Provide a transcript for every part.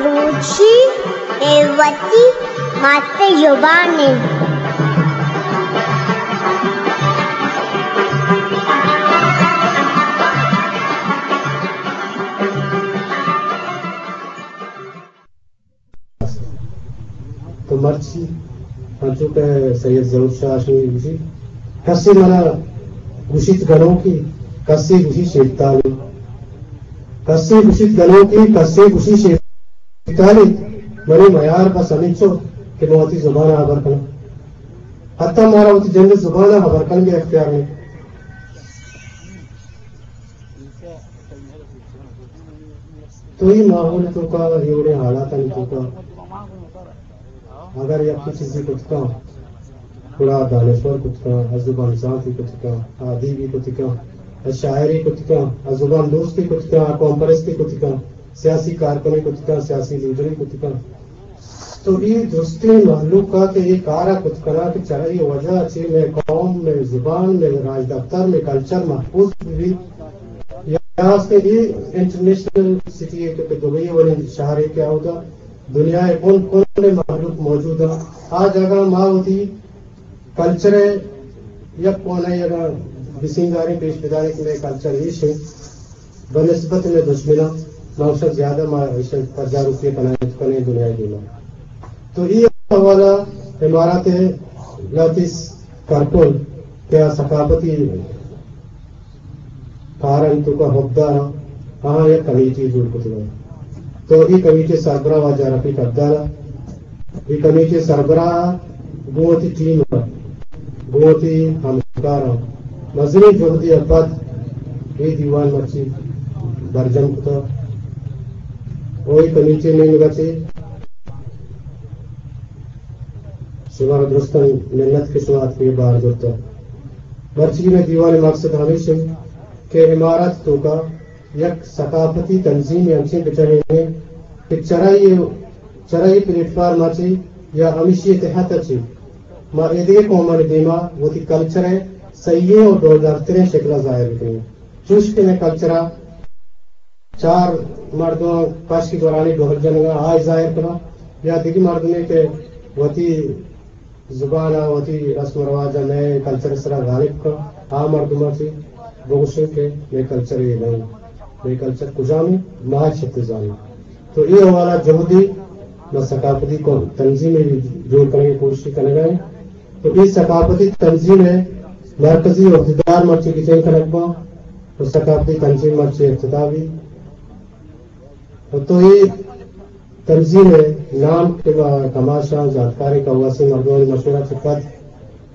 بلوچی اے وتی مات زبان اِنت۔ تو مرچی انچو کہ سید ظہور شاہ ہاشمی گوشی، کسے منا گوشیت گنوکی، کسے گوشی شیرتالی، کسے گوشیت گنوکی، کسے گوشی شیرتالی۔ منی میار بس ہمینچو کہ من وتی زبان ءَ ہبر کناں۔ حتی مارا وتی جند ءِ زبان ءَ ہبر کنگ ءِ اختیار نہ اِنت۔ تو اے ماحول ءِ توکا، اے وڑیں حالاتانی توکا اگر یکے چیزے کت کن، گڑا دانشور کت کن، ءُ زبان زانتے کت کن، ءُ ادیبے کت کن، ءُ شاعرے کت کن، ءُ زبان دوستے کت کن، ءُ قوم پرستے کت کن، سیاسی کارکنے کت کن، سیاسی لیڈرے کت کن۔ تو اے درستیں مہلوک ءَ کہ اے کار ءَ کت کناں کہ چرے وجہ ءَ چہ مئے قوم، مئے زبان، مئے راجدپتر، مئے کلچر محفوظ بہ بیت۔ یا کہ اے انٹرنیشنل سٹی ءِ کہ دبئی ءِ وڑیں شہرے کہ اودا دنیا ءِ کن کن ءِ مہلوک موجود اَنت، آ جاگہ ءَ ما وتی کلچر ءِ یک کونے ءَ اگاں بسینگاریں پیش بداریں کہ مئے کلچر ایش اِنت، بہ نسبت مئے دژمناں ما اشاں زیادہ، ما اشاں پجاروکی کنائینت کنیں دنیا ءِ دیما۔ تو اے حوالہ امارات ءِ لہتے کارکن کہ آ ثقافتی کارانی توکا حقدار اَنت، آہاں یک کمیٹی جوڑ کتگ اَنت۔ تو اے کمیٹی ءِ سربراہ واجہ رفیق عبداللہ، اے کمیٹی ءِ سربراہ گوں وتی ٹیم ءَ، گوں وتی ہمکاراں مزنیں جہدے ءَ پد اے دیوان مرچی برجم کتگ۔ ءُ اے کمیٹی ءِ نیمگ ءَ چہ شمارا درستاں منت کہ شما اتکگ ءُ بار زرتگ۔ مرچی مئے دیوان ءِ مقصد ہمیش اِنت کہ امارات ءِ توکا یک ثقافتی تنظیمے انچیں بچہینیں کہ چرآئی، چرآئی پلیٹ فارم ءَ چہ یا ہمیشی ءِ تحت ءَ چہ ما ایدگہ قومانی دیما وتی کلچر ءِ صحیحیں ءُ ڈولدارتریں شکل ءَ ظاہر بکنیں۔ چوش کہ مئے کلچر ءَ چار مردم پشک گورانی ڈول جنگ ءَ آئی ظاہر کناں، یا دگہ مردمے کہ وتی زبان ءَ، وتی رسم ءُ رواج ءَ، مئے کلچر ءِ سرا غالب کن، آ مردماں چہ بگوشیں کہ مئے کلچر اے نہ اِنت، مئے کلچر کجام اِنت، ما چت زانیں۔ تو اے حوالہ ءَ جہدے ما ثقافتی کو-، تنظیمے جوڑ کنگ ءِ کوشش کنگ ءَ ایں۔ تو اے ثقافتی تنظیم ءِ مرکزی عہدیدار مرچی گچین کنگ باں، تو ثقافتی تنظیم مرچی افتتاح بی۔ تو اے تنظیم ءِ نام کہ ما کماشاں زانتکاریں کواسیں مردمانی مشورہ چہ پد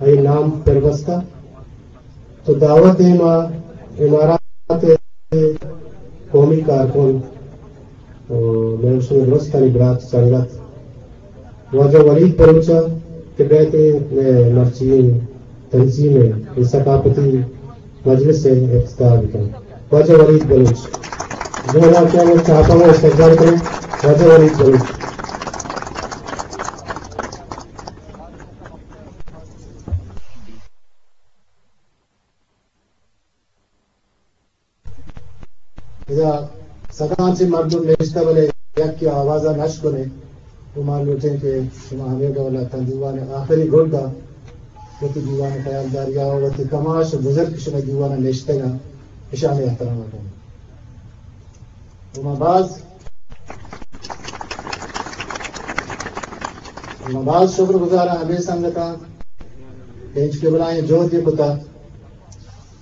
آئی نام پر بستہ۔ تو دعوت دیم ءَ امارات ءِ قومی کارکن، مئے شمئے درستانی برات سنگت واجہ ولید بلوچ ءَ کہ بیت مئے مرچی تنظیم ءِ اے ثقافتی مجلس ءِ افتتاح بکن۔ واجہ ولید بلوچ۔ جواناں کہ ہمے چاپاں استقبال کنیں۔ واجہ ولید بلوچ۔ ادا سداں چہ مردم نشتہ، بلے یکے آواز ءَ نش کنے۔ تو ما لوٹیں کہ شما ہمے ڈول ءَ تاں دیوان ءِ آخری گڈ ءَ وتی دیوان ءِ خیالداری ءَ، وتی کماش ءُ بزرگ شمئے دیوان ءَ نشتگ اَنت، اشانی احترام ءَ کنیں۔ تو ما باز، ما باز شکر گزار آں ہمے سنگتاں کہ انچکہ بلاہیں جہدے کتہ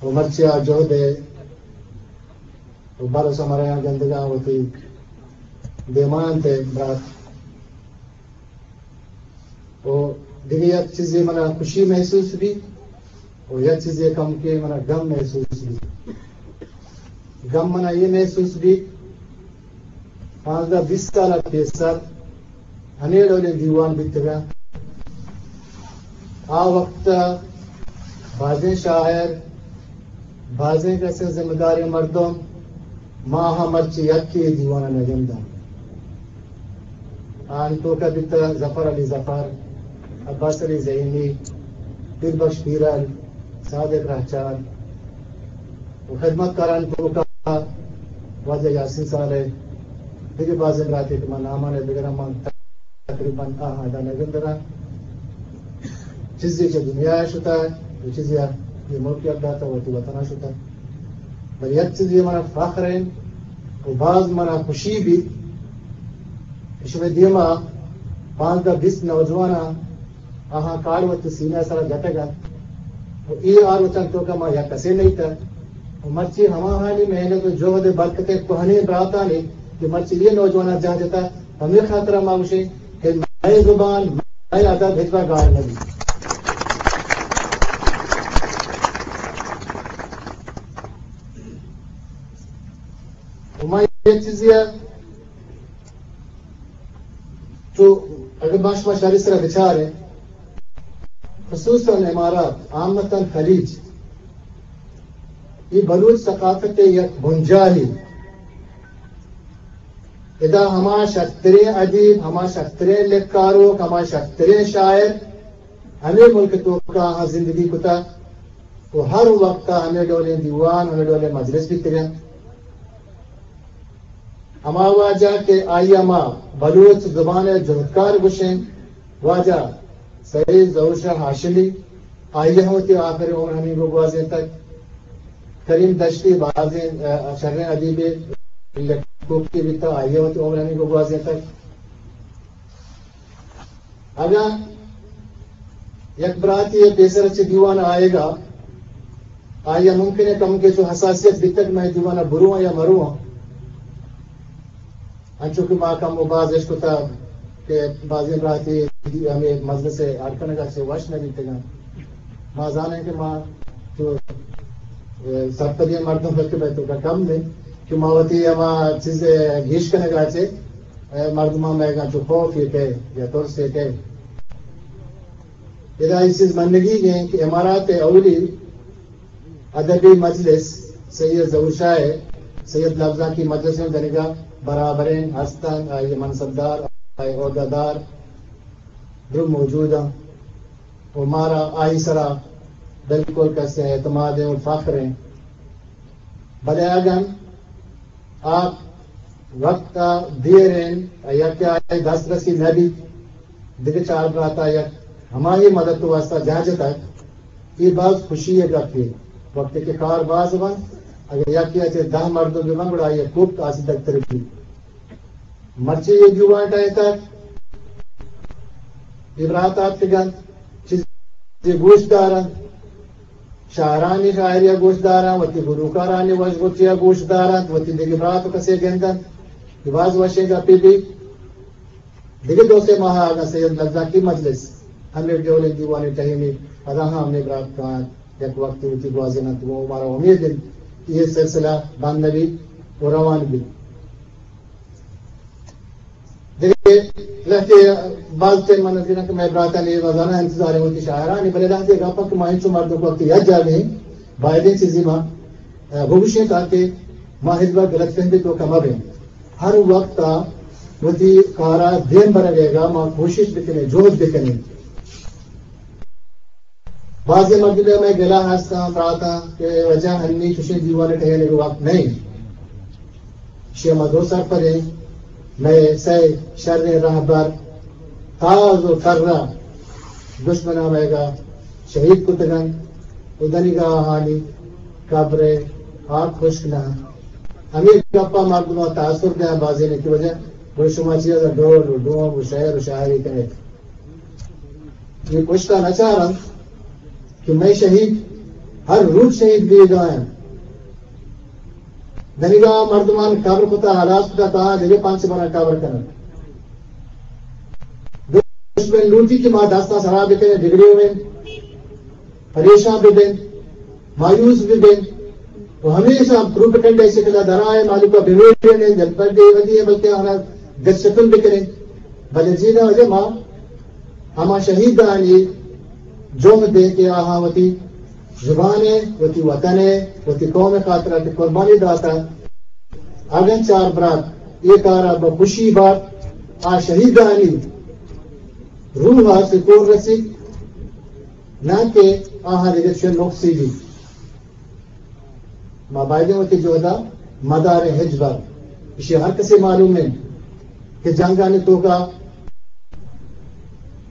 ءُ مرچی آ جہد ءِ ءُ بر ءُ ثمرایاں گندگ ءَ وتی دیما اَنت ءُ برات۔ ءُ دگہ یک چیزے منا خوشی محسوس بیت ءُ یک چیزے کمکے منا غم محسوس بیت۔ غم منا اے محسوس بیت، پانزدہ بیست سال ءَ پیسر ہمے ڈولیں دیوان بیتگ اَنت۔ آ وقت ءَ بازیں شاعر، بازیں کسیں ذمہ داریں مردم، ما ہم مرچی یکے اے دیوان ءَ نہ گنداں۔ آہانی توک ءَ بیتگ ظفر علی ظفر، عباس علی زہیمی، پیر بخش پیرل، صادق رہچار ءُ خدمتکارانی توک ءَ واجہ یاسین صالح، دگہ بازیں براتے کہ من نامان ءَ بگراں، من تقریباً آہاں ادا نہ گندراں۔ چیزے چہ دنیا ءَ شتہ، و چیزے ءَ اے ملک ءَ داتہ، وتی وطن ءَ شتہ۔ بلے یک چیزے منا فخر انت و باز منا خوشی بیت کہ شمئے دیما پانزدہ بیست نوجواناں آہاں کار وت سینہ ءِ سرا جتگ انت و اے آروچاں توکا ما یک کسے نئیتگ و مرچی ہماہانی محنت و جہد ءِ برکت ءَ کوہنیں براتانی کہ مرچی اے نوجواناں جاہ جتہ، ہمے خاطرا ما گوشیں کہ مئے زبان، مئے ادب ہچبر گار نہ بیت۔ و ما یک چیزے ءَ چو اگر ما شما شری سرا بچاریں، خصوصاً امارات، عامتاً خلیج، اے بلوچ ثقافت ءِ یک بنجاہے۔ ادا ہما شرتریں ادیب، ہما شرتریں لکھاروک، ہما شرتریں شاعر ہمے ملک ءِ توکا آہاں زندگی کتہ و ہر وقتا ہمے ڈولیں دیوان، ہمے ڈولیں مجلس بیتگ انت۔ ہما واجہ کہ آئی ءَ ما بلوچ زبان ءِ جہدکار گوشیں، واجہ سید ظہور شاہ ہاشمی، آئی ءَ وتی آخری عمر ہمینگو گوازینتگ۔ کریم دشتی بازیں، ا، شریں ادیبے، لکھوکے بیتگ، آئی ءَ وتی عمر ہمینگو گوازینتگ۔ اگاں یک براتے ءَ پیسر چہ دیوان ءَ آیگ ءَ آئی ءَ ممکن ءَ کمکے چو حساسیت بیتگ، من دیوان ءَ برواں یا مرواں، انچو کہ ما کم و باز اشکتہ کہ بازیں براتے ہمے مجلس ءِ اڈ کنگ ءَ چہ وش نہ بیتگ انت۔ ما زانیں کہ ما چو، اے، سرپدیں مردم بلکہ مئے توکا کم انت کہ ما وتی ہما چیز ءِ گیش کنگ ءَ چہ، اے، مردماں مئیگاں چو خوف یے کئے یا ترس یے کئے۔ ادا اے چیز منگی ایں کہ امارات ءِ اولی ادبی مجلس سید ظہور شاہ ءِ سید لبزانکی مجلس ءَ دنیگا برابریں ہست انت، آئی ءِ منصبدار، آئی ءِ عہدہ دار درو موجود انت و مارا آئی سرا بالکل کسے اعتماد ءُ فخر انت۔ بلے اگن آ وقت ءَ دیر انت، یکے آئی دسترسی نہ بیت، دگہ چار برات ءَ یک ہمائی مدد ءِ واسطہ جاہ جتگ، اے باز خوشی ءِ گپے۔ وقتی کہ کار باز بنت، اگر یکے ءَ چہ دہ مردم بہ بنت، گڑا آئی ءِ کوپت آسودگ تر بیت۔ مرچی اے دیوان ٹہینتگ، اے برات آتکگ انت، چیزے گوش دار انت، شاعرانی شاعری ءَ گوش دار انت، وتی گلوکارانی وش گوشی ءَ گوش دار انت، وتی دگہ برات ءُ کسے گند انت، اے باز وشیں گپے بیت۔ دگہ دو سے ماہ اگاں سید لبزانکی مجلس ہمے ڈولیں دیوانے ٹہینی، پدا ہم ہمے برات کاینت، یک وقتے وتی گوازین انت، و مارا امید انت کہ اے سلسلہ بند نہ بیت و روان بیت۔ دگہ لہتے باز ٹیم من نزیراں کہ مئے براتانی روزانہ انتظار انت وتی شاعرانی، بلے لہتے گپ انت کہ ما انچو مردم وقتی یک جاگہ ایں، بایدیں چیزی ما، ء، بگوشیں تاکہ ما ہچبر غلط فہمی توکا مہ بیں۔ ہر وقت ء وتی کارا دیم برگ ء ما کوشش بکنیں، جہد بکنیں۔ بازیں مردمے مئے گلہ ہستاں، براتاں کہ واجہ ہنی چوشیں دیوان ٹہینگ وقت نہ انت۔ اشی ء ما درو سرپد ایں۔ مئے سئے شریں رہبر تاز و ترا دشمناں مئیگا شہید کتگ انت و دنیگا آہانی قبر ء ہاک ہشک نہ انت۔ ہمے گپا مردماں تاثر دیاں بازینے کہ واجہ گڑا شما چیا ڈول و ڈوم و شعر و شاعری کنیت۔ اے پشتا نہ چار انت کہ مئے شہید ہر روچ شہید بیگا انت۔ دنیگا مردمان قبر کتا، ہلاس کتا، تاں دگہ پنچ برا قبر کنن۔ دشمن لوٹی کہ ما دستا سرا بکنیں، بگڑے ہوئیں، پریشان ببیں، مایوس ببیں، و ہمیشہ پروپیگنڈا شکلا درائے مالکا بمیڑیں، جلپردے ودی ہے، بلکہ آنا دست شکن بکنیں۔ بلے جینا وجہ ما ہما شہیدانی جہد ء کہ آہاں وتی زبان ء، وتی وطن ء، وتی قوم ء خاطرا کہ قربانی داتا، اگن چار برات اے کارا بہ خوشی بات، آ شہیدانی روح ء سکون رسیت، نہ کہ آہاں دگہ چہ نقصی بیت۔ ما بایدیں وتی جہدا مداریں ہچبر۔ اشی ہر کسی معلوم انت۔ کہ جنگانی توکا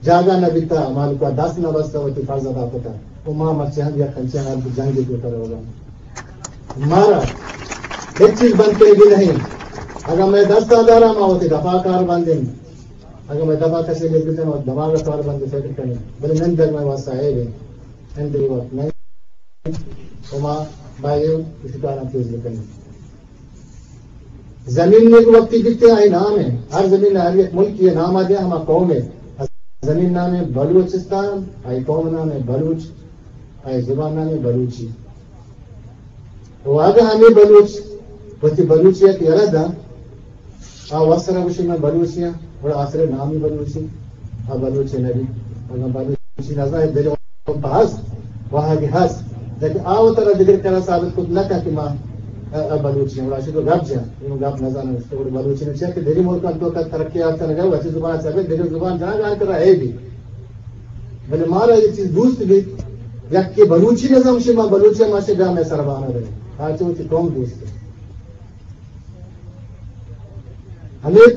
جاگہ نہ بیتا، مالکا دست نہ بستا، وتی فرض ادا کتا۔ و ما مرچی ہم یک انچیں حال کہ جنگی توکا روگا۔ مارا ہچ چیز بند کنگی نہیں۔ اگاں مئے دست دارا، ما وتی دفاع کار بندیں۔ اگاں مئے دفاع کسی لے بیتن، ما دماغ کار بند فکر کنیں۔ بلے نندگ مئے واسطہ ہے بھی۔ اندری وقت نہیں۔ و ما باید اسی کارا تیز بکنیں۔ زمین نے وقتی بیتے آئی نام ہے۔ ہر زمین، ہر یک ملک یہ نام آ دیا، ہما قوم ہے۔ زمین نام ہے بلوچستان، آئی قوم نام ہے بلوچ، آئی زبان نام ہے بلوچی۔ و اگاں ہمیں بلوچ، وتی بلوچیت یلہ داں، آ وسرا گوشی من بلوچی ہاں، گڑا آسرے نامی بلوچی، آ بلوچی نبی۔ اگاں بلوچی نزانے، دل پہ ہست، واہگی ہست، لیکن آ وترا دگر کرا ثابت کت نہ کن کہ ما، آ، آ بلوچی ہاں۔ گڑا اشی تو گپ جن، اے گپ نزانن، تو گڑا بلوچی نہ چیا کہ دگہ ملکان توکا ترقی یافتہ نگا، وتی زبان چا بے، دگر زبان جنا جان کرا ہے بھی۔ بلے مارا یہ چیز دوست بیت، یک کہ بلوچی نزم شما بلوچی ما سے جامع سربانہ دے۔ آ چو چی قوم دوست ہے۔ ہمیں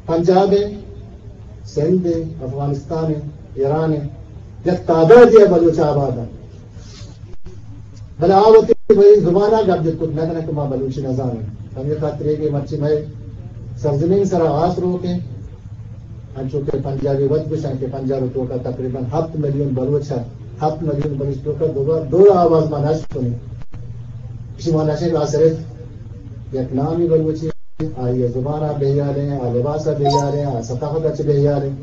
پنجاب ہے، سندھ ہے، افغانستان ہے، ایران ہے، یک تعداد ہے بلوچ آباد ہے۔ بلے آ وتی بلے زبان آ گپ جت کت نہ کنہ کہ ما بلوچی نزانیں۔ ہمیں خاطر ہے کہ مرچی مئے سرزمین سرا آس روک ہیں۔ انچو کہ پنجابی وت گوشن کہ پنجاب توکا تقریباً ہفت میلیون بلوچ ہے۔ ہفت میلیون بلوچ توکا دو، دو آواز ما نشت کنی۔ اسی ما نشت آ صرف یک نامی بلوچی، آئی زبان آ بہیال ہیں، آ لباس آ بہیال ہیں، آ ثقافت آ چہ بہیال ہیں۔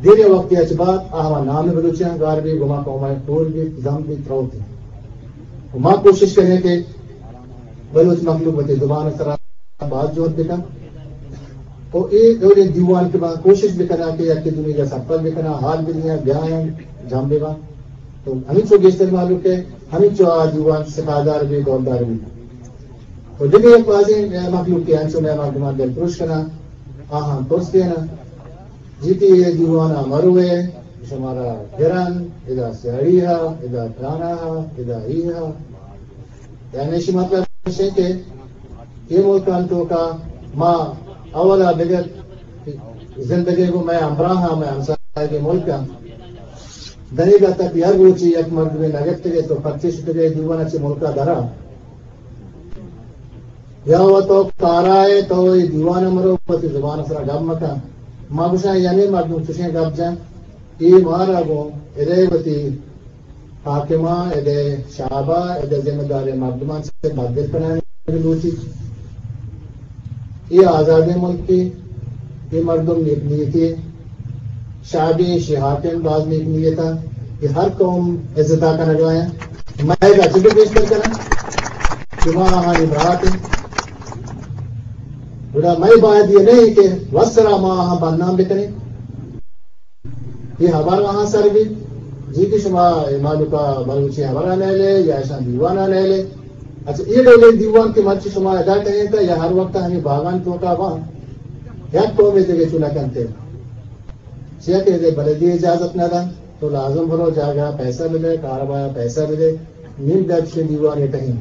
دیر وقتی اچ بعد آ ہما نام بلوچیاں گار بی، گما قوماں ٹول بی، زم بی، تروت۔ و ما کوشش کنیں کہ بلوچ مخلوق وتی زبان سرا باز جہد بکن۔ و اے ڈولیں دیوان کہ ما کوشش بکناں کہ یک دومی جا سرپد بکناں، حال بدیاں، بیایاں، جم بباں۔ تو ہمینچو گیشتر مخلوق ہے، ہمینچو آ دیوان سپاہدار بی، دولدار بی۔ و دگہ یک بازیں مخلوق کہ انچو مئے مردمان دلپروش کناں، آہاں ترس دیناں۔ جی تی اے دیوان ء مروے، شمارا گرن، ادا سیاڑی ہا، ادا ترانا ہا، ادا ای ہا۔ یعنی ایشی مطلب ایش کہ اے ملکان توکا ما اولا بگر زندگی گو مئے ہمراہ ہاں، مئے ہمسایگی ملک ہاں۔ دنیگا تک ہر روچی یک مردمے نگتگے تو پرچے شتگے دیوان چہ ملکا درا۔ یا و تو کارائے، تو اے دیوان مرو، وتی زبان سرا گپ مکن۔ ما گوشاں یعنی مردم چشیں گپ جن، اے مارا گوں ادے وتی حاکماں، ادے شعبا، ادے ذمہ داریں مردمان سے بدل کنائیں لوٹی۔ اے آزادیں ملکے، اے مردم نیک نیتے، شعبی شی حاکم باز نیک نیتا، اے ہر قوم عزتا کنگا ہیں۔ مئے گا چکے پیش کر کریں، شما آہانی برات ہیں۔ گڑا مئے باید یہ نہیں کہ وسرا ما آہاں بدنام بکنیں۔ اے ہبر آہاں سر بیت، جی کہ شما اے مالوکا بلوچی ہبرا نیلے یا اشاں دیوانا نیلے۔ اچھا، اے ڈولیں دیوان کہ مرچی شما ادا کنیں تا یا ہر وقت ہمیں باغان توکا باں، یک قومے دگہ چو نہ کنتے۔ چیا کہ اے بلدی اجازت نہ دن، تو لازم برو جاگہ پیسہ بدے، کاربایا پیسہ بدے، نیم دچ کے دیوانے کہیں۔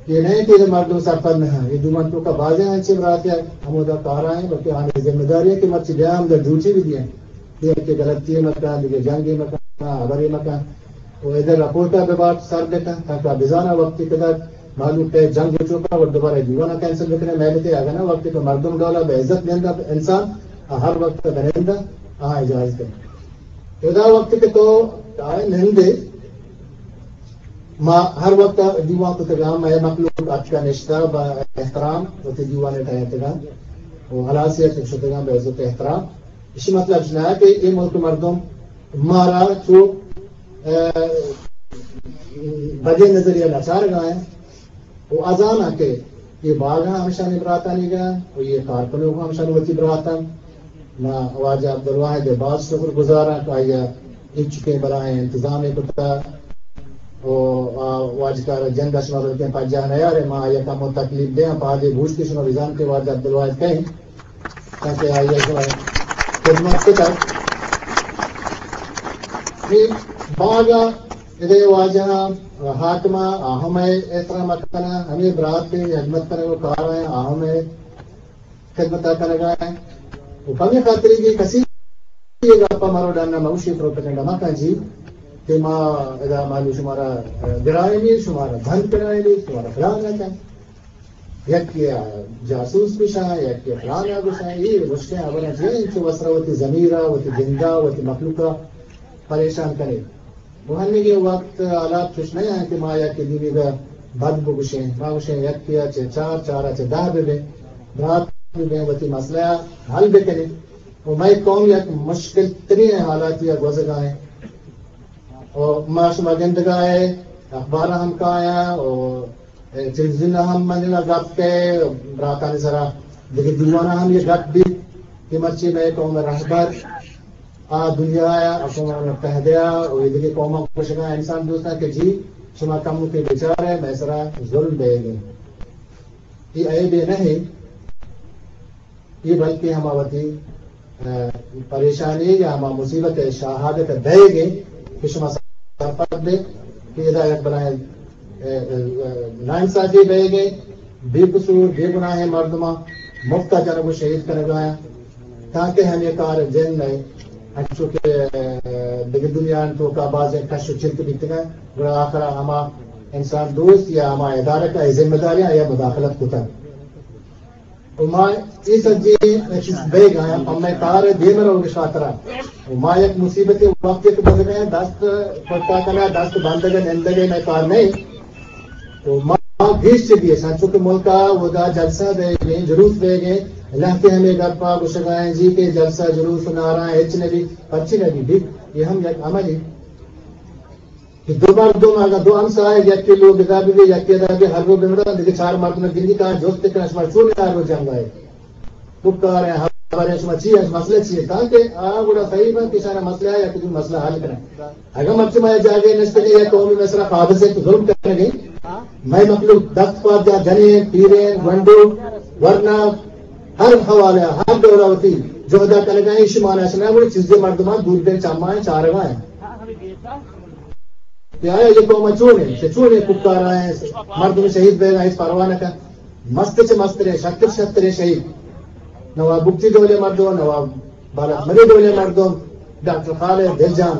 اے نہ کہ مردم سرپد نہ ہیں۔ اے دیوان توکا بازیں انچیں براتے ہمودا کارا ہیں، بلکہ آنی ذمہ داری ہے کہ مرچی بیا ہم در ڈیوٹی بھی دیں۔ دگہ کہ غلطی مکن، دگہ جنگی مکن، ہبرے مکن۔ و ادھر رپورٹا بہ بات سر بکن، تاکہ بزانا وقتی کدر مالوک پہ جنگ چوکا و دوبارہ دیوانا کینسل بکنے، محنتے اگنا وقتی کہ مردم ڈولا بہ عزت نندا انسان، آ ہر وقت بنندا، آ اجازت ہے۔ ادا وقت کہ تو آئے نندے، ما ہر وقت دیوان کتگاں، مئے مخلوق اتکا نشتہ با احترام وتی دیوان ٹہینتگاں و ہلاسی اتک شتگاں بہ عزت احترام۔ اسی مطلب اش نہ کہ اے ملک مردم مارا چو، اه، بدیں نظریہ نچارگا ہیں۔ و ازاناں کہ اے باغ ہم ہمشانی براتانی گا و اے کارکنوک ہم ہمشانی وتی براتاں۔ ما واجہ عبدالواحد ء باز شکر گزاراں کہ آئی ء انچکیں بلاہیں انتظامے کتا و آ واجکار ء جند ء شما بلکیں پجاہ نیارے، ما آئی ء کمو تکلیف دیاں، پادے بوشت کہ شما بزان کہ واجہ عبدالواحد کئیں، تاکہ آئی ء شما خدمت کتا۔ اے باغ ء ادے واجہاں، حاکماں، آ ہم اے احترام کناں، ہمے برات ءِ ہدمت کنگ ءُ کار ایں، آ ہم اے خدمت ءَ کنگ ءَ ایں۔ ءُ پمے خاطر کہ کسی اے گپ ءَ مرو ڈن ءَ موشی پروپیگنڈا مکن جی کہ ما ادا مالو شمارا گرائینی، شمارا بند کنائینی، شمارا فلان نہ کن۔ یکے ءَ جاسوس گوشاں، یکے ءَ فلان ءَ گوشاں، اے مشکیں ہبراں چی انچو وسرا وتی ضمیر ءَ، وتی جند ءَ، وتی مخلوق ءَ پریشان کنے۔ گوہنگیں وقت حالات چش نہ انت کہ ما یکے دیمی ءَ بد بگوشیں۔ ما گوشیں یکے ءَ چہ چار، چار ءَ چہ دہ بہ بیں، برات بہ بیں، وتی مسئلہ ءَ حل بہ کنیں۔ ءُ مئے قوم یک مشکل ترین حالاتی ءَ گوزگ ءَ ایں۔ ءُ ما شما گندگ ءَ ایں، اخبار ءَ ہم کایاں ءُ ٹیلیویژن ءَ ہم منی گپ کئے، براتانی سرا دگہ دیوان ءَ ہم یہ گپ بیت کہ مرچی مئے قوم ءِ رہبر آ دنیا ءَ، اقوام متحدہ ءَ ءُ اے دگہ قوماں گوشگ ءَ انسان دوستاں کہ جی شما کمکے بچار ئے، مئے سرا ظلم بیگ ءَ ایں۔ اے عیبے نہ ایں، اے بلکیں ہما وتی، ءَ، پریشانی یا ہما مصیبت ءِ شہادت ءَ دئیگ ءَ ایں کہ شما سرپد بے کہ ادا یک بلاہیں، ءَ، ءَ، ناانصافی بئیگ ءَ ایں، بے قصور، بے گناہیں مردماں مفت ءَ جنگ ءُ شہید کنگ ءَ ایں، تاکہ ہمے کار جند نہ انچو کہ، ءَ، دگہ دنیا ءِ توکا بازیں کش ءُ چنت بیتگ انت، گڑا آخر ءَ ہما انسان دوست یا ہما ادارہ کہ اے ذمہ داریاں آیا مداخلت کتگ۔ ءُ ما اے سجیں چیز بئیگ ءَ ایں، پہ مئے کار ءِ دیم ءَ روگ ءِ خاطر ءَ۔ ءُ ما یک مصیبتے وقت یک بزگ ءَ ایں، دست پٹا کنگ ءَ، دست بندگ ءَ، نندگ ءَ مئے کار نہ ایں۔ ءُ ما گیش چہ گیش، انچو کہ ملک ءَ اودا جلسہ بئیگ ءَ ایں، جلوس بئیگ ءَ ایں، لہتے ہمے گپ ءَ گوشگ ءَ ایں جی کہ جلسہ، جلوس ءُ نعرہ ہچ نہ بی، پرچی نہ بی، بی، اے ہم یک عملے۔ کہ دو مردم، اگاں دو ہمساہگ یکے لوگ ادا بہ بی، یکے ادا بہ بی، ہر رو بمرن، دگہ چار مردم گندی، تاں جست کنن، شما چون ہر رو جنگ ءَ ئے؟ کوکار ایں، ہبر ایں، شما چی ایں، مسئلہ چی ایں؟ تاکہ آ گڑا صحیح بنت کہ اشانا مسئلہ ایں، یک دومی مسئلہ حل کنن۔ اگاں مرچی ما یک جاگہے نشتگیں، یک قومے مئے سرا قابض ایں تو ظلم کنگے، مئے مخلوق دست پاد جا جنین، پیرین، گونڈو، ورنا، ہر حوالہ، ہر دور ءَ وتی جہد ءَ کنگ ءَ ایں، ایشی مانا اش نہ، گڑا چیزے مردمان دوربین چماں ایں، چارگ ءَ ایں۔ کہ آیا یہ قوم چون ایں، چہ چونیں کوکار ءَ ایں، مردم شہید بئیگ ءَ ہچ پرواہ نہ کن۔ مست چہ مستریں، شتر شتریں شہید۔ نواب بگٹی ڈولیں مردم، نواب بالاچ مری ڈولیں مردم، ڈاکٹر خالد دلجان،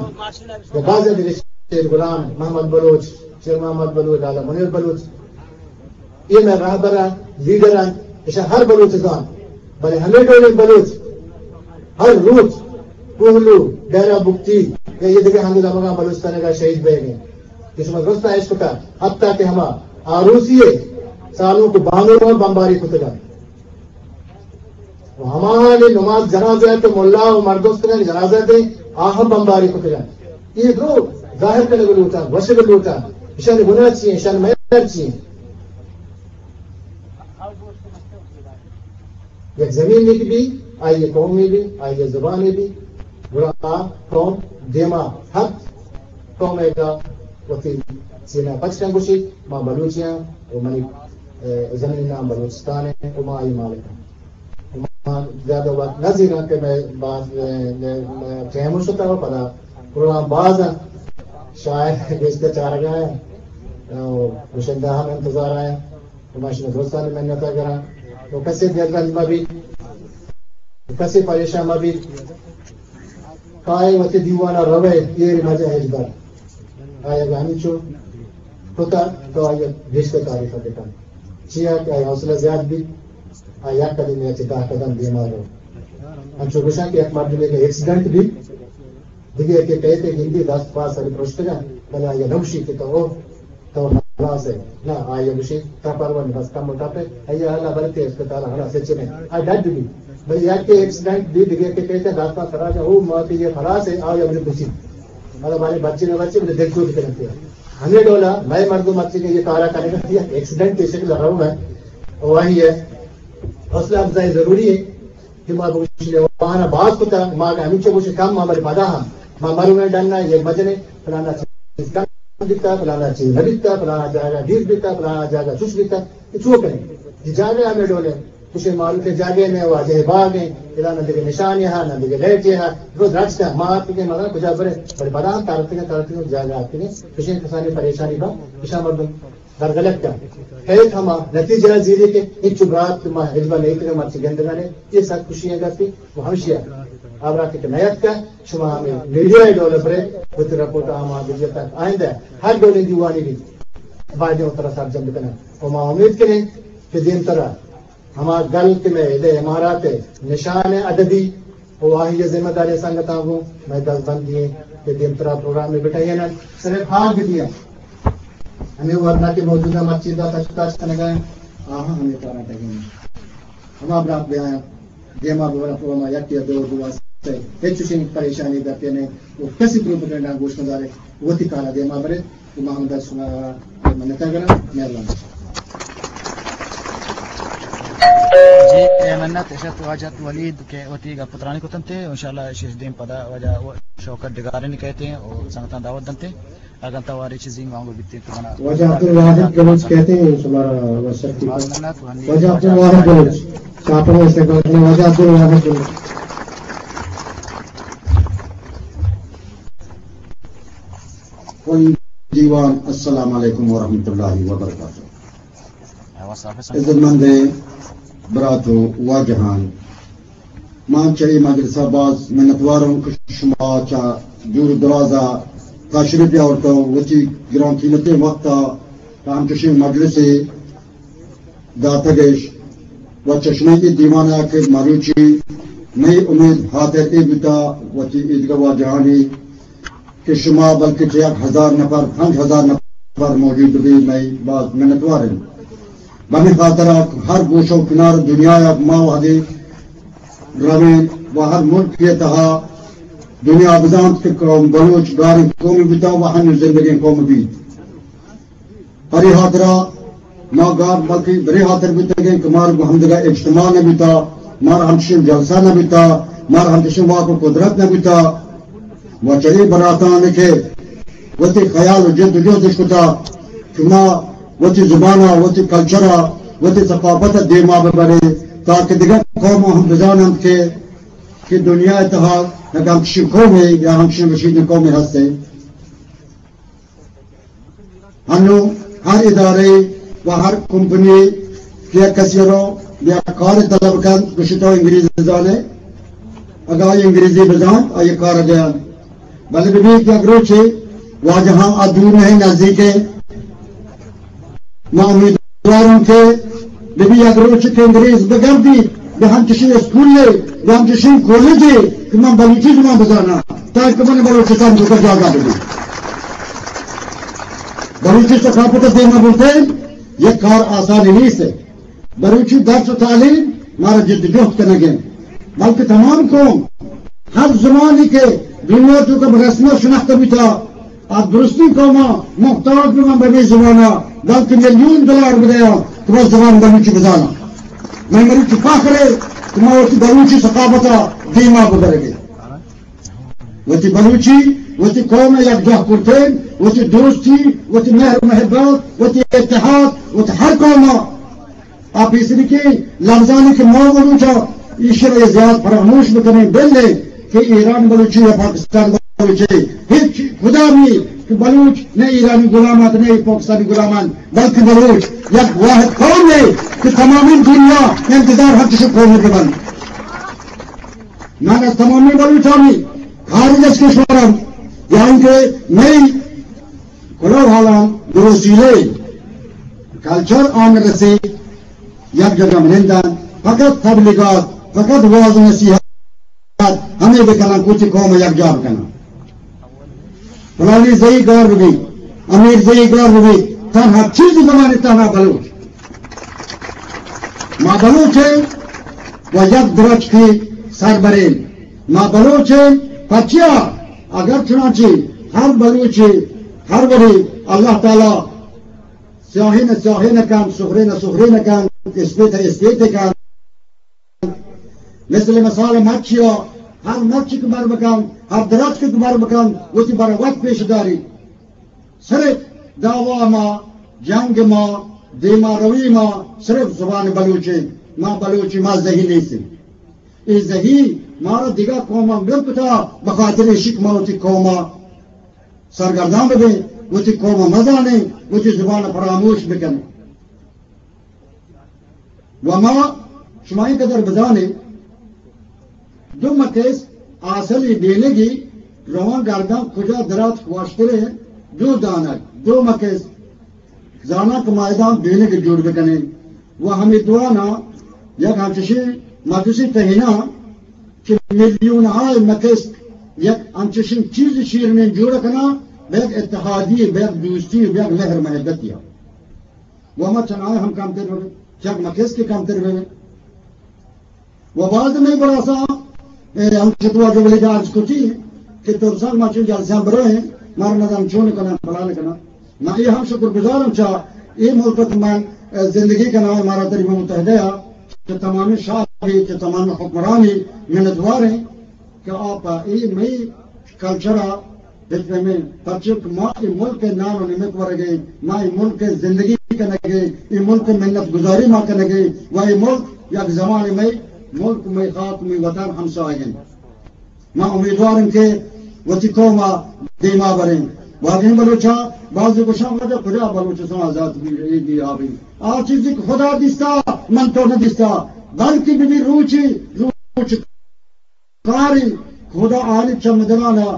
یا بازیں دگہ شیر غلام، محمد بلوچ، شیر محمد بلوچ، لالا منیر بلوچ۔ اے مئے رہبراں، لیڈراں، اشاں ہر بلوچ زانت۔ بلے ہمے ڈولیں بلوچ ہر روچ کوہلو، ڈیرہ بگٹی یا یہ دگہ ہند دمگاں بلوچستان ءَ شہید بئیگ ءَ ایں۔ کہ شما درست اشکتا، حتی کہ ہما آروسی ءِ سالونک ءُ بانور ہم بمباری کتگ انت۔ ءُ ہماہانی نماز جنازہ ءَ کہ ملا ءُ مردم استگاں جنازہ دیں، آ ہم بمباری کتگ انت۔ اے درو ظاہر کنگ لوٹاں، گوشگ لوٹاں، اشانی گناہ چی ایں، اشانی مہر چی ایں؟ یک زمینے کہ بی، آئی قومے بی، آئی زبانے بی، گڑا آ قوم دیما ہر قومے گا وتی سینہ پچ کن گوشی، ما بلوچیاں ءُ منی، اے، زمین نام بلوچستان ایں ءُ ما آئی مالک ایں۔ ما زیادہ وقت نہ زیراں کہ مئے باز، اے، اے، ٹائم شتا ءُ پدا پروگرام باز ایں، شاعر گیشتر چارگا ایں، ءُ گشندہ ہم انتظار ایں۔ ءُ ما شما درستانی منت ءَ گراں۔ ءُ کسے دل رنج مہ بیت، کسے پریشان مہ بیت۔ کائے وتی دیوان ءَ روئے، ایر مجہ ہچبر۔ آئی اگاں ہمینچو کتا تو آئی گیشتر تعریف بکن۔ چیا کہ آئی حوصلہ زیاد بیت، آ یک قدم یا چہ دہ قدم دیما رو۔ انچو گوشاں کہ یک مردمے کہ ایکسیڈنٹ بیت، دگہ یکے کئیت ءُ گندی دست پاد سر پرشتگ انت، بلے آئی ءَ نہ گوشی کہ تو، تو خلاص ئے۔ نہ، آئی ءَ گوشی، تا پرواہ نہ، بس کم ءُ ٹپ ئے، آئی ءَ اللہ برتے اسپتال ءَ، خلاص ئے، چنے۔ آ ڈڈ بی۔ بلے یکے ایکسیڈنٹ بی، دگہ یکے کئیت ءُ دست پاد سر ءَ جا، او ما کہ یہ خلاص ئے، آئی ءَ گوشی بچی نہ بچی، بلے دل چوٹ کنتے۔ ہمے ڈولا مئے مردم مرچی کہ یہ کارا کنگ ءَ، ایکسیڈنٹ ءِ شکل ءَ روگ ءَ، او آئی ءِ حوصلہ افزائی ضروری ایں۔ کہ ما بگوشیں آہاں باز کتا، ما اگاں ہمینچو گوشیں کم، ما بلے پدا ہم ما مرونیں ڈن ءَ یہ مجنیں، فلانا چیز کم بیتا، فلانا چیز نہ بیتا، فلانا جاگہ دیر بیتا، فلانا جاگہ چوش بیتا، یہ چو کنیں؟ یہ جاگہ ہمے ڈولیں۔ کشے معروف جاگے نے، واجہ باغ ہیں، ادا نہ دگہ نشانی ہا، نہ دگہ لائٹے ہا، رو درچ کا ما آتی کے مدار کجا برے، بڑے بدان تارتی کے، تارتی کے جاگہ آتی کے، کشے کسانی پریشانی با، کشا مردم درگلک کا۔ ایک ہما نتیجہ زیرے کے، انچو برات ما ہجبا نہیں تگے مرچی گندگانے، یہ سب خوشی ہے گپی، وہ ہمشی ہے۔ آبرات کے نیت کا، شما ہمیں میڈیا ڈول برے، وتی رپورٹ آما دنیا تک آئندہ ہر ڈول دیوانی بھی باجوں ترا سرجم بکنن۔ و ما امید کنیں کہ دیمترا ہما گل کہ مئے ادے امارات ء نشان ء ادبی و آئی ء ذمہ داری سنگتاں گوں مئے دزبندی ایں کہ دیمترا پروگرام ء بٹہینن، صرف ہاگ دیا ہمیں ورنا کہ موجودہ مسجد ء تشت تاش کنگا آہاں ہمیں کارا ٹگیں۔ ہما برات بیاں دیما ببرا پہ ما یکے ء دور بواسطہ ہچ چشیں پریشانی گپے نہ و کسی پروپیگنڈا گوش مدارے، وتی کارا دیما برے۔ تو ما ہمدا شما منت گرا، مہربانی۔ جی، اے منت اشت واجہ ولید کہ وتی گپ ترانی کتنتے، انشاءاللہ اشی دیم پدا واجہ شوکت ڈگارانی کہتے ہیں اور سنگتاں دعوت دنتے۔ اگن تواری چیزی مانگو بیتے تو منا۔ واجہ عبدالواحد بلوچ کہتے ہیں، شمارا وسط کی۔ واجہ عبدالواحد بلوچ، چاپڑ استقبال کرنا، واجہ عبدالواحد بلوچ۔ کل دیوان، السلام علیکم ورحمۃ اللہ وبرکاتہ۔ عزت مند برات و واجہان، من چہ اے مجلس ء باز منتوار ہوں کہ شما چہ دور و دراز ء تشریف آورتو، وتی گران قیمتیں وقت ء پہ ہمچشیں مجلسے داتگش و چہ شمئے اے دیوان ء کہ مروچی مئے امید ہاتر اے بوتا، وتی ایدگہ واجہانی کہ شما بلکہ چہ یک ہزار نفر، پنچ ہزار نفر موجود بہ بیت، مئے باز منتوار انت۔ بمے خاطرا ہر گوشہ و کنار دنیا ء ما وہدے رویں و ہر ملک ء تہا دنیا بزانت کہ قوم بلوچ گاریں قوم بوتا و ہنو زندگیں قوم بیت۔ پرے ہاترا ما گار بلکہ برے ہاتر بوتگیں کہ مارا گوں ہمدگہ اجتماع نہ بوتا، مارا ہمچشیں جلسہ نہ بوتا، مارا ہمچشیں واک و قدرت نہ بوتا۔ و چہ اے براتان کہ وتی خیال و جد و جہدش کتا کہ ما وتی زبانا، وتی کلچرا، وتی ثقافتا دیما ببریں تاکہ دگہ قوم ہم بزاننت کہ، کہ دنیا تہا یک ہمچشیں قومے یا ہمچشیں رشیدیں قومے ہستیں۔ ہنو ہر ادارے و ہر کمپنی کہ یک کسی رو یا کار طلب کنت، گوشی تو انگریزی زانے، اگاں آئی انگریزی بزانت، آئی کار دیان۔ بلے ببی کہ یک روچے واجہاں آ دور نہیں، نزدیک ہے۔ ما امیدواروں کہ ببی یک روچے کہ انگریز بگردی، بہ ہم چشیں اسکولے، بہ ہم چشیں کالجے کہ من بلوچی زبان بزاناں، تاکہ من بلوچستان جو کا جاگہ ببی۔ بلوچی ثقافت دیما بولتے، یہ کار آسانی نیست ہے۔ بلوچی درس و تعلیم مارا جد جہد کنگیں، بلکہ تمام قوم ہر زمانی کہ دنیا تو کا رسم و شناخت بیتا، آ درستیں قوما محتاج بہ من بہ مئے زبانا، بلکہ میلیون دلار بدیا کہ بس زبان بلوچی بزانا۔ مئے مروچی فخر ہے کہ ما وتی بلوچی ثقافتا دیما ببرگے۔ وتی بلوچی، وتی قوم یک جاہ کرتین، وتی دوستی، وتی مہر و محبت، وتی اتحاد، وتی ہر قوما آ پیسریکیں لبزانی کہ ما بلوچا ایشی را زیات فراموش بکنیں، بلے کہ ایران بلوچی یا پاکستان بلوچی ہچ کدامی کہ بلوچ نہ ایرانی غلامات نہ پاکستانی غلامان، بلکہ بلوچ یک واحد قوم ہے کہ تمامی دنیا انتظار ہر چشو قوم ببند۔ من از تمامی بلوچانی خارج از کشورم یا اینکہ مئی کلو حالان دو وسیلے کلچر آن رسی یک جگہ منندن، فقط تبلیغات، فقط واز و نصیحت ہمیں بکنن، کچھ قوم یک جا بکنن۔ فلانی زئی گار ببی، امیر زئی گار ببی، تنہا چیز زمانے تنہا بلوچ۔ ما بلوچ ہیں و یک درچکی سربرین۔ ما بلوچ ہیں، پچیا اگر چنانچہ ہر بلوچے ہر وڑے اللہ تعالی سیاہین سیاہین کن، سخرین سخرین کن، اسپیت اسپیت کن۔ مثل مثال مچیا، ہر مچ کہ بر بکن، ہر درچک کہ بر بکن، وتی بر وت پیش داری۔ صرف دعوا ما، جنگ ما، دیما روی ما صرف زبان بلوچی۔ ما بلوچی، ما زہی نیستیں۔ اے زہی مارا دگہ قوماں بر کتا، بخاطر ایشی کہ ما وتی قوما سرگردان ببیں، وتی قوما مزانیں، وتی زبان فراموش بکنیں۔ و ما شما این قدر بزانیں، دو مکس آسلی بینگی روان گردان کجا درات واشتریں، دو دانگ، دو مکس زاناں کہ ما اداں بینگ جوڑ بکنیں۔ و ہمے دواناں یک ہنچشیں مجلسی تہنا کہ میلیون ہائے مکس یک ہنچشیں چیز شیرنیں جوڑ کناں، بہ یک اتحادی، بہ یک دوستی، بہ یک مہر محبتی۔ و ما چنائے ہم کمتر ببیں، چک مکس کہ کمتر ببیں۔ و باز مئے براساں، اے، ہم چتوا جو ولی جاز کتی کہ ترسان ما چون جلسیاں برویں، مارا نظام چون کنن، فلان کنن۔ ما اے ہم شکر گزارم چا اے ملک ات من، اے، زندگی کناں، مارا تری متحدہ یا کہ تمامی شاہ بھی، کہ تمامی حکمرانی منتوار ہیں کہ آپ اے مئی کلچر ءَ بفہمیں، پرچے کہ ما اے ملک ءِ نان ءُ نمک ورگ ءَ، ما اے ملک ءِ زندگی کنگ ءَ، اے ملک ءِ منت گزاری ما کنگ ءَ، و اے ملک یک زمانے مئے ملک، مئے خاک، مئے وطن ہمساہگ انت۔ ما امیدوار ایں کہ وتی قوم ءَ دیما بریں۔ واجہیں بلوچاں، بعضی گوشاں واجہ کجا بلوچستان آزاد بی، اے بی، آ بی۔ آ چیزی کہ خدا دیستا، من تو نہ دیستا، بلکہ بی بی روچی، روچ کاری خدا آنی چمدنانا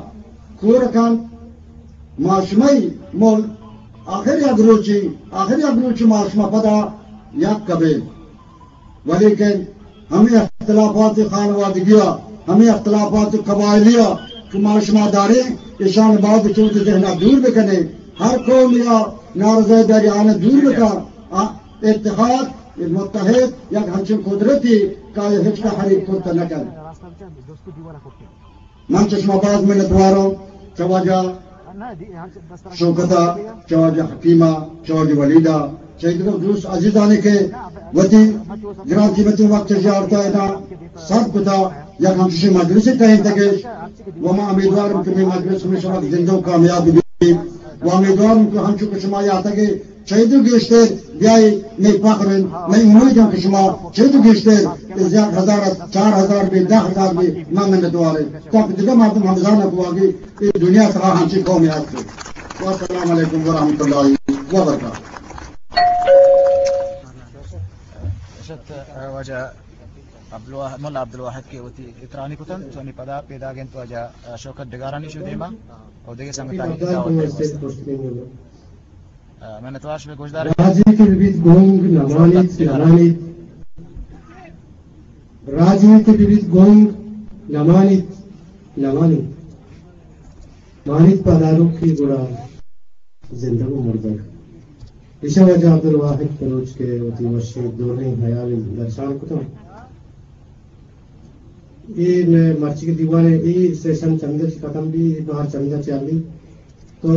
کور کن۔ ما شمئی ملک آخر یک روچی، آخر یک روچی ما شما پدا یک کبیں۔ ولیکن ہمے اختلافات خانوادگیا، ہمے اختلافات قبائلیا کہ ما شما داریں، ایشان باید چوت ذہنا دور بکنیں۔ ہر قوم یا نارضای داری آنا دور بکن۔ آ، اتحاد، متحد، یک ہنچیں قدرتی کہ آئی ہچ کا حریف کرتا نکن۔ من چہ شما باز منتواروں، چہ واجہ شوکتا، چہ واجہ حکیما، چہ واجہ ولیدا، چہ دگہ دوست عزیزانی کہ وتی گران قیمتی وقت ژیارتا ادا صرف کتا، یک ہمچشیں مجلسے ٹہینتگش، و ما امیدوارم کہ مئے مجلس ہمیشہ وقت زندہ و کامیاب بی، و امیدوارم کہ ہمچو کہ شما یاتگے چیدو گیشتر بیائی، مئے فخر انت، مئے امید انت کہ شما چیدو گیشتر، از یک ہزار ات، چار ہزار بی، دہ ہزار بی، ما منتوار انت۔ تاکہ دگہ مردم ہم بزانن کہ واقعی اے دنیا تہا ہنچیں قومے ہست۔ و السلام علیکم و رحمت اللہ و برکاتہ۔ شت، واجہ عبدالواحد، ملا عبدالواحد کہ وتی اترانی کتن، تو نی پدا پیداگ انت واجہ شوکت ڈگارانی شو دیما، اور دگہ سنگتانی دعوت۔ منتوار شمئے گوشدار۔ راجے کہ ببیت گنگ نمانیت، نمانیت۔ راجے کہ ببیت گنگ نمانیت، نمانیت۔ مانیت پہ داروکی گڑا زندگ و مردگ۔ ایشاں واجہ عبدالواحد بلوچ کہ وتی وشیں دوریں حیال درشان کتاں۔ اے مئے مرچی دیوان ءِ اے سیشن چمدا چہ ختم بی، اے بہر چمدا چہ بی۔ تو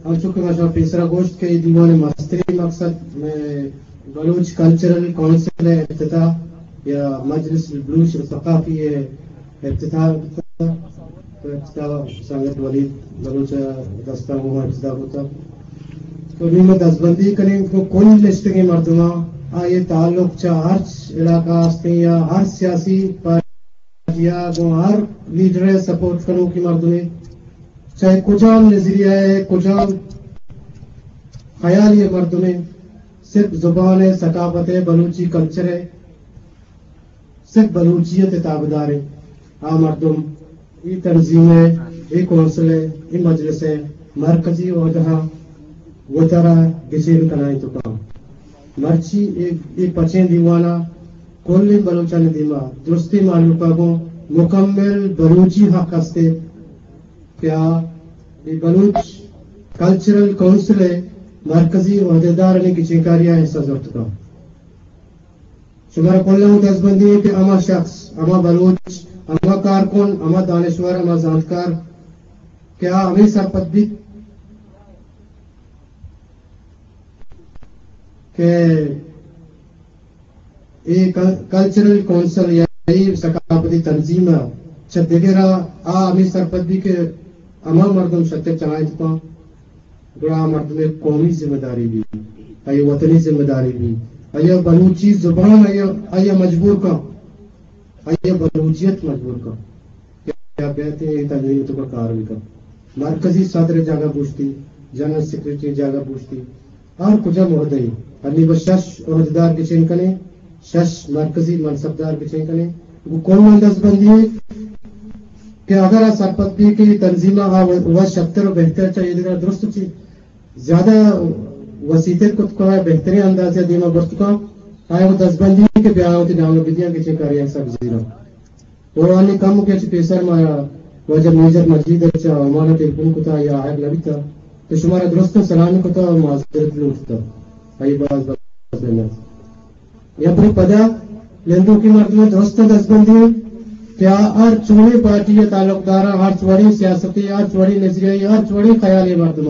انچو کہ ما شما پیسرا گوشت کہ اے دیوان ءِ مستریں مقصد مئے بلوچ کلچرل کونسل ءِ افتتاح یا مجلس البلوچ الثقافی ءِ افتتاح بوتا۔ تو افتتاح سنگت ولید بلوچ ءِ دستا گوں افتتاح بوتا۔ تو نی ما دزبندی کنیں گوں کل نشتگیں مردماں، آئی تعلق چہ ہرچ علاقہ ہستیں یا ہر سیاسی پارٹی یا گوں ہر لیڈر ءِ سپورٹ کنوکی مردمے، چاہے کجام نظریہ ءِ، کجام خیالی ءِ مردمے، صرف زبان ءِ، ثقافت ءِ، بلوچی کلچر ءِ، صرف بلوچیت ءِ تابعداریں آ مردم اے تنظیم ءِ، اے کونسل ءِ، اے مجلس ءِ مرکزی عہدہاں وتارا گچین کنائینت کاں۔ مرچی اے، اے پچیں دیوان ءَ کلیں بلوچانی دیما درستیں مہلوک ءَ گوں مکمل بلوچی حق است کہ آ اے بلوچ کلچرل کونسل ءِ مرکزی عہدیدارانی گچینکاری ءَ حصہ زرت کاں۔ شمارا کلاں دزبندی کہ ہما شخص، ہما بلوچ، ہما کارکن، ہما دانشور، ہما زانتکار کہ آ ہمے سرپد بیت کہ اے کل-، کلچرل کونسل یا اے ثقافتی تنظیم ءَ چہ دگر ءَ آ ہمے سرپد بی کہ ہما مردم شتر چنائینت کاں، گڑا آ مردم ءِ قومی ذمہ داری بی، آئی وطنی ذمہ داری بی، آیا بلوچی زبان آیا، آیا مجبور کن، آیا بلوچیت مجبور کن کہ آ بیت اے تنظیم توکا کار بکن۔ مرکزی صدر جاگہ بوشتی، جنرل سیکرٹری جاگہ بوشتی، ہر کجا عہدہ ای۔ ہنی بس شش عہدیدار گچین کنے، شش مرکزی منصبدار گچین کنے۔ گو کل من دستبندی کہ اگر آ سرپد بی کہ تنظیم آ و شتر و بہتر چاہیے، درست چی زیادہ وسیع تر کت کن، بہترین اندازے دیما برت کن، آیا و دستبندی کہ بیا وتی نام بدیاں کہ چے کاری آئی سر زیراں۔ و آنی کم کہ چہ پیسر ما واجہ میجر مجید ء چہ عمان ء ٹیلیفون کتا یا آہگ نہ بیتا، تو شمارا درستاں سلام کتا و معذرت لوٹتا۔ آئی باز باز منت۔ یا پرے پدا نندوکی مردم درست دستبندی کہ آ ہر چوڑی پارٹی ء تعلقدار، ہر چوڑی سیاستی، ہر چوڑی نظریہ، ہر چوڑی خیالی مردم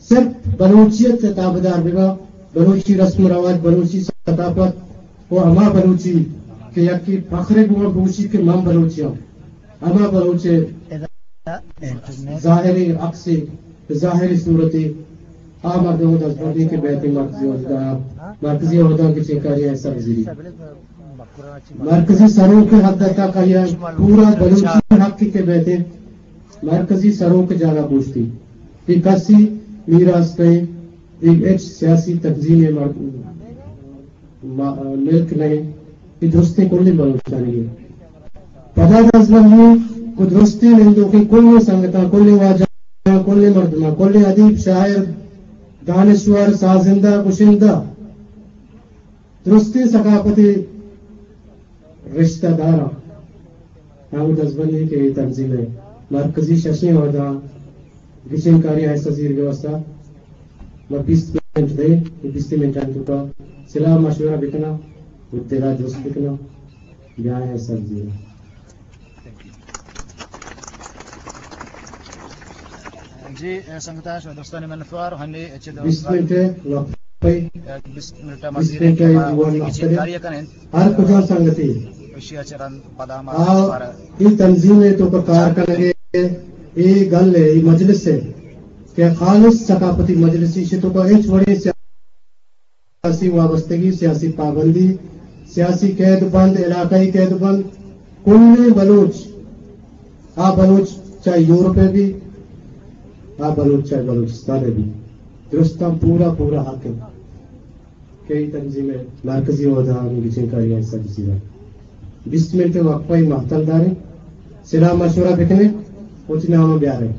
صرف بلوچیت ء تابعدار ببا، بلوچی رسم و رواج، بلوچی ثقافت و ہما بلوچی کہ یکی فخر بوا بوشی کہ من بلوچی ہوں، ہما بلوچ ظاہری عکسی، ظاہری صورتی آ مردم دست بردی کہ بیتی مرکزی عہدہ، مرکزی عہدہ کی چنکاری ایسا بزیری۔ مرکزی سروک حد تک آیا پورا بلوچی حق کے بیتے مرکزی سروک جاگہ بوشتی۔ یہ کسی میراث کہیں، یہ ایک سیاسی تنظیم ہے، مر-، ما-، ملک نہیں، یہ درستی کلی بلوچستانی ہے۔ پدا دست بندی کو درستی نندوکی کلی سنگتاں، کلی واجہ، کلی مردماں، کلی ادیب، شاعر، دانشور، سازندہ، گشندہ، درستیں ثقافتی رشتہ داراں ہم دزبندی کہ اے تنظیم ء مرکزی ششیں عہدہ گچین کاری آہستہ زیرگ ء واستہ ما بیست منٹ دئیں، اے بیست منٹانی توکا صلاح مشورہ بکناں و دلا درست بکناں، بیا آہستہ زیراں۔ جی، اے سنگتاں، شما درستانی منتوار۔ ہنی چہ بیست منٹ وقفہ، بیست منٹ بیست مزید منٹ کہ ما دیوان وتی مقصد کاری کنیں۔ ہر کجا سنگتی ایشی ء چہ رند پدا ما آ، دوبارہ اے تنظیم ء توکا کار کنگے، اے گل ء، اے مجلس ء کہ خالص ثقافتی مجلس، ایشی توکا ہچ وڑیں سیاسی وابستگی، سیاسی پابندی، سیاسی قید بند، علاقائی قید بند، کلیں بلوچ، آ بلوچ چاہے یورپ ء بی، آ بلوچ چاہے بلوچستان ء بی، درستاں پورا پورا حق انت کہ اے تنظیم ء مرکزی عہدہ آنی گچین کاری آئی سر بزیرا۔ بیست منٹ وقفہ ء مہتل داریں، صلاح مشورہ بکنیں، وتی نام بیاریں۔